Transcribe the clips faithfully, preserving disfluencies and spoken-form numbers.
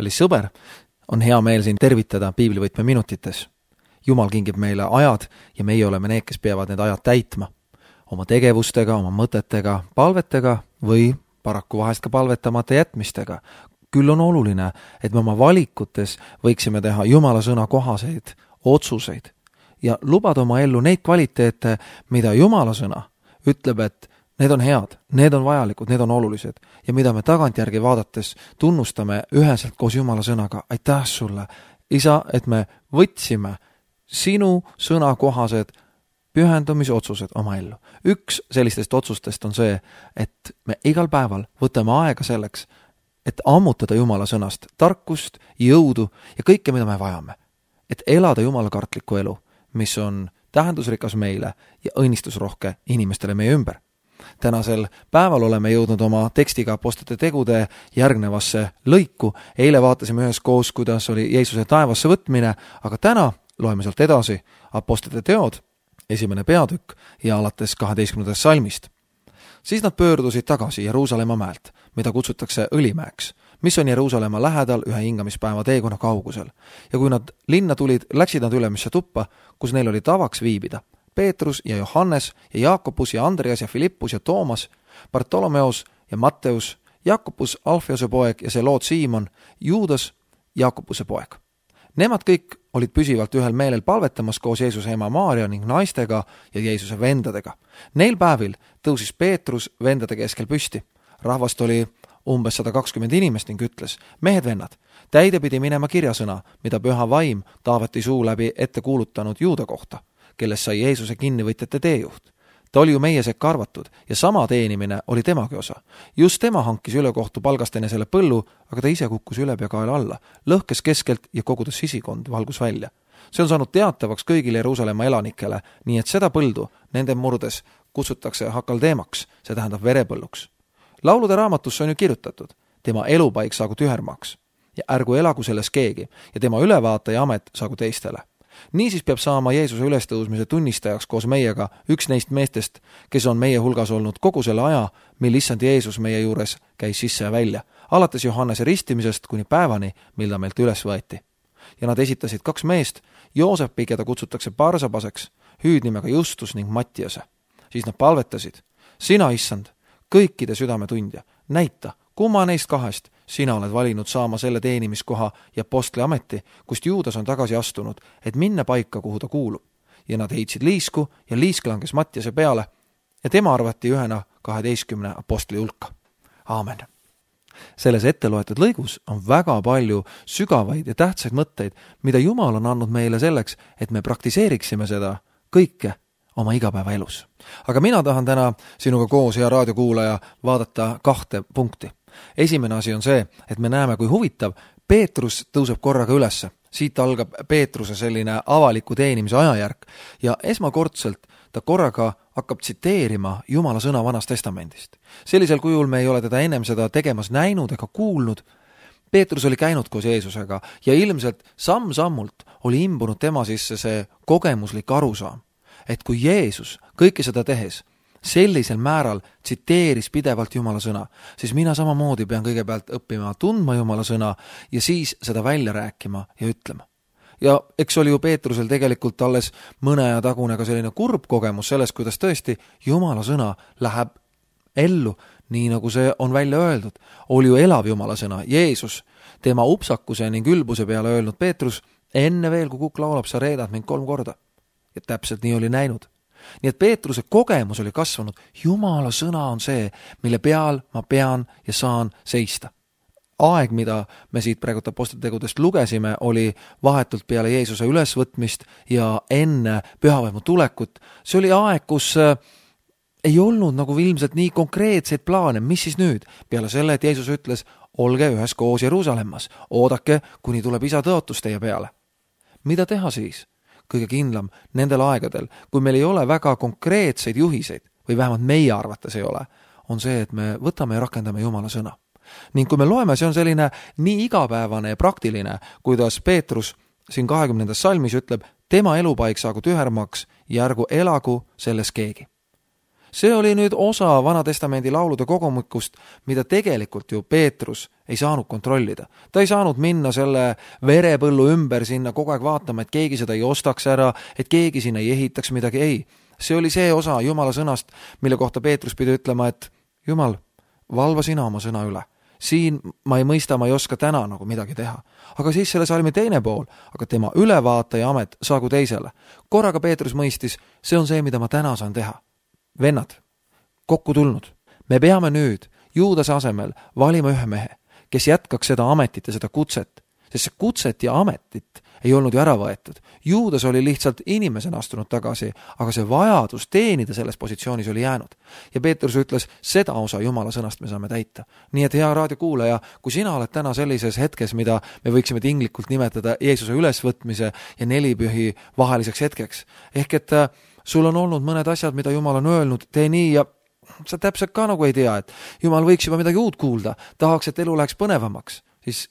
Kallis sõber, on hea meel siin tervitada piiblivõtme minutites. Jumal kingib meile ajad ja meie oleme need, kes peavad need ajad täitma. Oma tegevustega, oma mõtetega, palvetega või paraku vahest ka palvetamata jätmistega. Küll on oluline, et me oma valikutes võiksime teha Jumala sõna kohaseid otsuseid ja lubada oma ellu neid kvaliteete, mida Jumala sõna ütleb, et need on head, need on vajalikud, need on olulised ja mida me tagantjärgi vaadates tunnustame üheselt koos Jumala sõnaga. Aitäh sulle, Isa, et me võtsime sinu sõna kohased pühendumisotsused oma ellu. Üks sellistest otsustest on see, et me igal päeval võtame aega selleks, et ammutada Jumala sõnast tarkust, jõudu ja kõike, mida me vajame. Et elada Jumala kartlikku elu, mis on tähendusrikas meile ja õnnistusrohke inimestele meie ümber. Tänasel päeval oleme jõudnud oma tekstiga apostlite tegude järgnevasse lõiku. Eile vaatasime ühes koos, kuidas oli Jeesuse taevasse võtmine, aga täna loeme sealt edasi apostlite teod, esimene peatükk ja alates kaheteistkümnendast salmist. Siis nad pöördusid tagasi Jeruusalemma mäelt, mida kutsutakse Õlimäeks, mis on Jeruusalemma lähedal ühe hingamispäeva teekonna kaugusel. Ja kui nad linna tulid, läksid nad ülemisse tuppa, kus neil oli tavaks viibida. Peetrus ja Johannes ja Jaakobus ja Andreas ja Filippus ja Toomas, Bartolomeos ja Matteus, Jaakobus Alfeose poeg ja Seloot Siimon, Juudas Jaakobuse poeg. Nemad kõik olid püsivalt ühel meelel palvetamas koos Jeesuse ema Maaria ning naistega ja Jeesuse vendadega. Neil päevil tõusis Peetrus vendade keskel püsti. Rahvast oli umbes sada kakskümmend inimest ning ütles, mehed vennad, täide pidi minema kirjasõna, mida püha vaim Taaveti suu läbi ette kuulutanud Juuda kohta, kellest sai Jeesuse kinnivõtjate teejuht. Ta oli ju meie sekka arvatud ja sama teenimine oli temagi osa. Just tema hankis ülekohtu palgast enne selle põllu, aga ta ise kukkus ülepea alla, lõhkes keskelt ja kogudes sisikond valgus välja. See on saanud teatavaks kõigile Jeruusalemma elanikele, nii et seda põldu nende murdes kutsutakse hakaldeemaks, see tähendab verepõlluks. Laulude raamatusse on ju kirjutatud, tema elupaik saagu tühermaks ja ärgu elagu selles keegi ja tema ülevaataja amet saagu teistele. Niisiis peab saama Jeesuse ülestõusmise tunnistajaks koos meiega üks neist meestest, kes on meie hulgas olnud kogu selle aja, mil issand Jeesus meie juures käis sisse ja välja, alates Johannese ristimisest kuni päevani, mil ta meilt üles võeti. Ja nad esitasid kaks meest, Joosepi, keda kutsutakse Barsabaseks, hüüdnimega Justus ning Mattiase. Siis nad palvetasid, sina, issand, kõikide südametundja, näita, kumma neist kahest sina oled valinud saama selle teenimiskoha ja apostli ameti, kust Juudas on tagasi astunud, et minna paika, kuhu ta kuulub. Ja nad heitsid liisku ja liisk langes Mattiase peale ja tema arvati ühena kaheteistkümne apostli hulka. Aamen. Selles etteloetud lõigus on väga palju sügavaid ja tähtsaid mõtteid, mida Jumal on andnud meile selleks, et me praktiseeriksime seda kõike oma igapäeva elus. Aga mina tahan täna sinuga koos, hea raadiokuulaja, vaadata kahte punkti. Esimene asi on see, et me näeme, kui huvitav Peetrus tõuseb korraga ülesse. Siit algab Peetruse selline avaliku teenimise ajajärk ja esmakordselt ta korraga hakkab tsiteerima Jumala sõna Vanast Testamendist. Sellisel kujul me ei ole teda ennem seda tegemas näinud ega kuulnud. Peetrus oli käinud koos Jeesusega ja ilmselt samm-sammult oli imbunud tema sisse see kogemuslik arusaam, et kui Jeesus kõike seda tehes sellisel määral tsiteeris pidevalt Jumala sõna, siis mina samamoodi pean kõigepealt õppima tundma Jumala sõna ja siis seda välja rääkima ja ütlema. Ja eks oli ju Peetrusel tegelikult alles mõne aja tagune ka selline kurb kogemus sellest, kuidas tõesti Jumala sõna läheb ellu, nii nagu see on välja öeldud. Oli ju elav Jumala sõna, Jeesus, tema upsakuse ning ülbuse peale öelnud Peetrus, enne veel, kui kukk laulab, sa reedad mind kolm korda. Ja täpselt nii oli näinud. Nii et Peetruse kogemus oli kasvanud, Jumala sõna on see, mille peal ma pean ja saan seista. Aeg, mida me siit praegu apostlitetegudest lugesime, oli vahetult peale Jeesuse ülesvõtmist ja enne pühavaimu tulekut. See oli aeg, kus ei olnud nagu ilmselt nii konkreetseid plaane, mis siis nüüd? Peale selle, et Jeesus ütles, olge ühes koos Jeruusalemmas, oodake, kuni tuleb isa tõotus teie peale. Mida teha siis? Kõige kindlam nendel aegadel, kui meil ei ole väga konkreetseid juhiseid, või vähemalt meie arvates ei ole, on see, et me võtame ja rakendame Jumala sõna. Ning kui me loeme, see on selline nii igapäevane ja praktiline, kuidas Peetrus siin kahekümnendas salmis ütleb, tema elupaik saagu tühermaks ja ärgu elagu selles keegi. See oli nüüd osa Vana-testamendi laulude kogumikust, mida tegelikult ju Peetrus ei saanud kontrollida. Ta ei saanud minna selle verepõllu ümber sinna kogu aeg vaatama, et keegi seda ei ostaks ära, et keegi sinna ei ehitaks midagi, ei. See oli see osa Jumala sõnast, mille kohta Peetrus pidi ütlema, et Jumal, valva sina oma sõna üle. Siin ma ei mõista, ma ei oska täna nagu midagi teha. Aga siis selle salmi teine pool, aga tema ülevaataja amet saagu teisele. Korraga Peetrus mõistis, see on see, mida ma täna saan teha. Vennad, kokku tulnud. Me peame nüüd Juudase asemel valima ühe mehe, kes jätkaks seda ametit ja seda kutset, sest see kutset ja ametit ei olnud ju ära võetud. Juudas oli lihtsalt inimesena astunud tagasi, aga see vajadus teenida selles positsioonis oli jäänud. Ja Peetrus ütles, seda osa Jumala sõnast me saame täita. Nii et hea raadiokuulaja, kui sina oled täna sellises hetkes, mida me võiksime tinglikult nimetada Jeesuse ülesvõtmise ja nelipühi vaheliseks hetkeks, ehk et sul on olnud mõned asjad, mida Jumal on öelnud, tee nii ja sa täpselt ka nagu ei tea, et Jumal võiks juba midagi uut kuulda, tahaks, et elu läheks põnevamaks, siis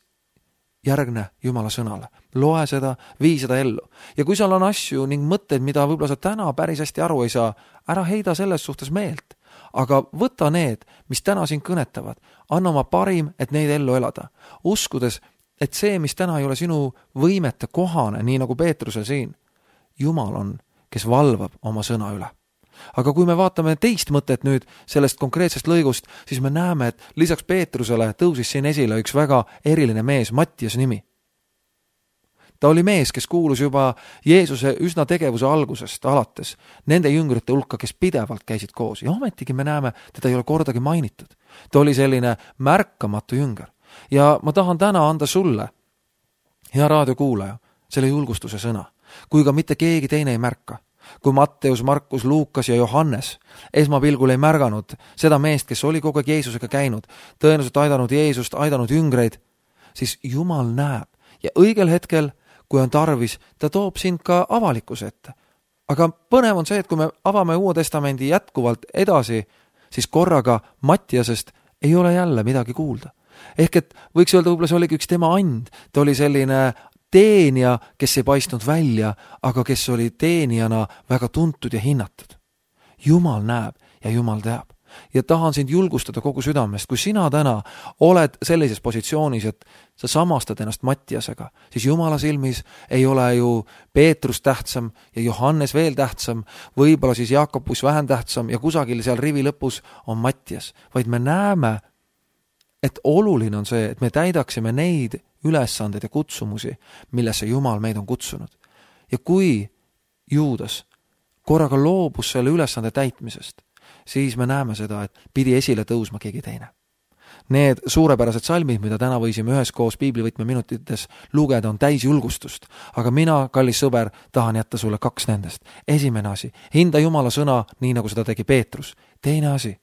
järgne Jumala sõnale. Loe seda, vii seda ellu. Ja kui seal on asju ning mõtteid, mida võib-olla sa täna päris hästi aru ei saa, ära heida selles suhtes meelt. Aga võta need, mis täna sind kõnetavad. Anna oma parim, et neid ellu elada. Uskudes, et see, mis täna ei ole sinu võimete kohane, nii nagu Peetrusel siin, Jumal on, kes valvab oma sõna üle. Aga kui me vaatame teist mõtet nüüd sellest konkreetsest lõigust, siis me näeme, et lisaks Peetrusele tõusis siin esile üks väga eriline mees, Mattias nimi. Ta oli mees, kes kuulus juba Jeesuse üsna tegevuse algusest alates nende jüngrite hulka, kes pidevalt käisid koos. Ja ometigi me näeme, teda ei ole kordagi mainitud. Ta oli selline märkamatu jünger. Ja ma tahan täna anda sulle, hea raadiokuulaja, selle julgustuse sõna, kui ka mitte keegi teine ei märka. Kui Matteus, Markus, Luukas ja Johannes esmapilgul ei märganud seda meest, kes oli kogu aeg Jeesusega käinud, tõenäoliselt aidanud Jeesust, aidanud jüngreid, siis Jumal näeb ja õigel hetkel, kui on tarvis, ta toob sind ka avalikkuse ette. Aga põnev on see, et kui me avame Uue Testamendi jätkuvalt edasi, siis korraga Mattiasest ei ole jälle midagi kuulda. Ehk et võiks öelda, võib-olla see oligi üks tema and, ta oli selline teenija, kes ei paistnud välja, aga kes oli teenijana väga tuntud ja hinnatud. Jumal näeb ja Jumal teab. Ja tahan sind julgustada kogu südamest, kui sina täna oled sellises positsioonis, et sa samastad ennast Mattiasega, siis Jumala silmis ei ole ju Peetrus tähtsam ja Johannes veel tähtsam, võib-olla siis Jaakobus vähem tähtsam ja kusagil seal rivi lõpus on Mattias, vaid me näeme, et oluline on see, et me täidaksime neid ülesandeid ja kutsumusi, millesse Jumal meid on kutsunud. Ja kui Juudas korraga loobus selle ülesande täitmisest, siis me näeme seda, et pidi esile tõusma keegi teine. Need suurepärased salmid, mida täna võisime üheskoos piiblivõtme minutites lugeda, on täis julgustust. Aga mina, kallis sõber, tahan jätta sulle kaks nendest. Esimene asi, hinda Jumala sõna, nii nagu seda tegi Peetrus. Teine asi,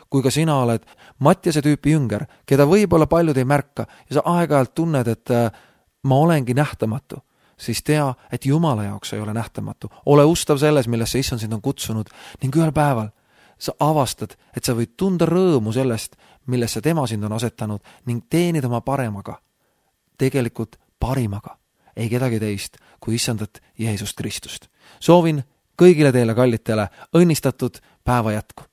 kui ka sina oled Mattiase tüüpi jünger, keda võib-olla paljud ei märka ja sa aeg-ajalt tunned, et ma olengi nähtamatu, siis tea, et Jumala jaoks ei ole nähtamatu. Ole ustav selles, millesse Issand sind on kutsunud ning ühel päeval sa avastad, et sa võid tunda rõõmu sellest, millesse tema sind on asetanud ning teenida oma paremaga, tegelikult parimaga, ei kedagi teist kui Issandat Jeesust Kristust. Soovin kõigile teile kallitele õnnistatud päeva jätku.